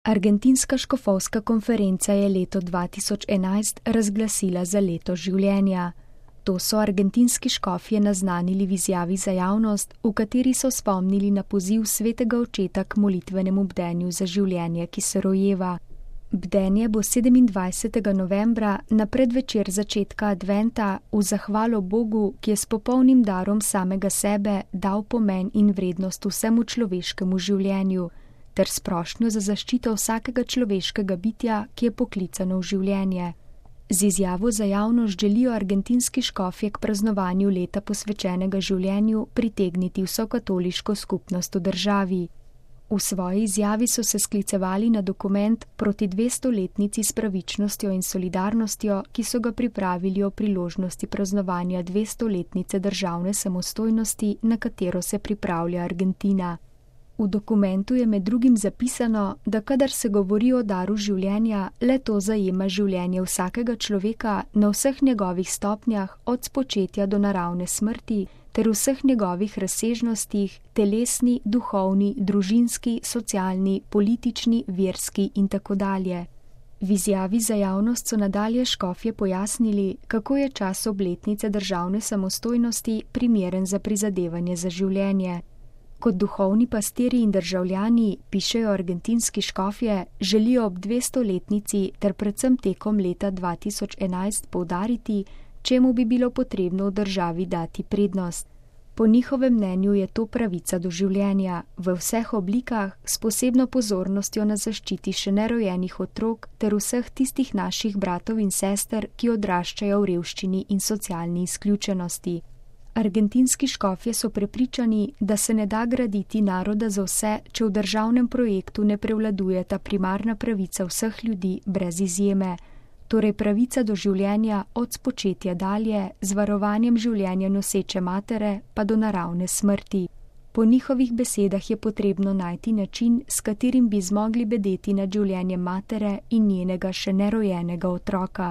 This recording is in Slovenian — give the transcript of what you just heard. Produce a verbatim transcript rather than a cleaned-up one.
Argentinska škofovska konferenca je leto dva tisoč enajst razglasila za leto življenja. To so argentinski škofje naznanili v izjavi za javnost, v kateri so spomnili na poziv svetega očeta k molitvenemu bdenju za življenje, ki se rojeva. Bdenje bo sedemindvajsetega novembra na predvečer začetka adventa v zahvalo Bogu, ki je s popolnim darom samega sebe dal pomen in vrednost vsemu človeškemu življenju, ter s prošnjo za zaščito vsakega človeškega bitja, ki je poklicano v življenje. Z izjavo za javnost želijo argentinski škofje k praznovanju leta posvečenega življenju pritegniti vso katoliško skupnost v državi. V svoji izjavi so se sklicevali na dokument proti dvestoletnici s pravičnostjo in solidarnostjo, ki so ga pripravili o priložnosti praznovanja dvestoletnice državne samostojnosti, na katero se pripravlja Argentina. V dokumentu je med drugim zapisano, da kadar se govori o daru življenja, le to zajema življenje vsakega človeka na vseh njegovih stopnjah, od spočetja do naravne smrti, ter vseh njegovih razsežnostih, telesni, duhovni, družinski, socialni, politični, verski in tako dalje. V izjavi za javnost so nadalje škofje pojasnili, kako je čas obletnice državne samostojnosti primeren za prizadevanje za življenje. Kot duhovni pastirji in državljani, pišejo argentinski škofje, želijo ob dvestoletnici ter predvsem tekom leta dva tisoč enajst poudariti, čemu bi bilo potrebno v državi dati prednost. Po njihovem mnenju je to pravica do življenja, v vseh oblikah, s posebno pozornostjo na zaščiti še nerojenih otrok ter vseh tistih naših bratov in sester, ki odraščajo v revščini in socialni izključenosti. Argentinski škofje so prepričani, da se ne da graditi naroda za vse, če v državnem projektu ne prevladuje ta primarna pravica vseh ljudi brez izjeme, torej pravica do življenja od spočetja dalje, z varovanjem življenja noseče matere pa do naravne smrti. Po njihovih besedah je potrebno najti način, s katerim bi zmogli bedeti nad življenjem matere in njenega še nerojenega otroka.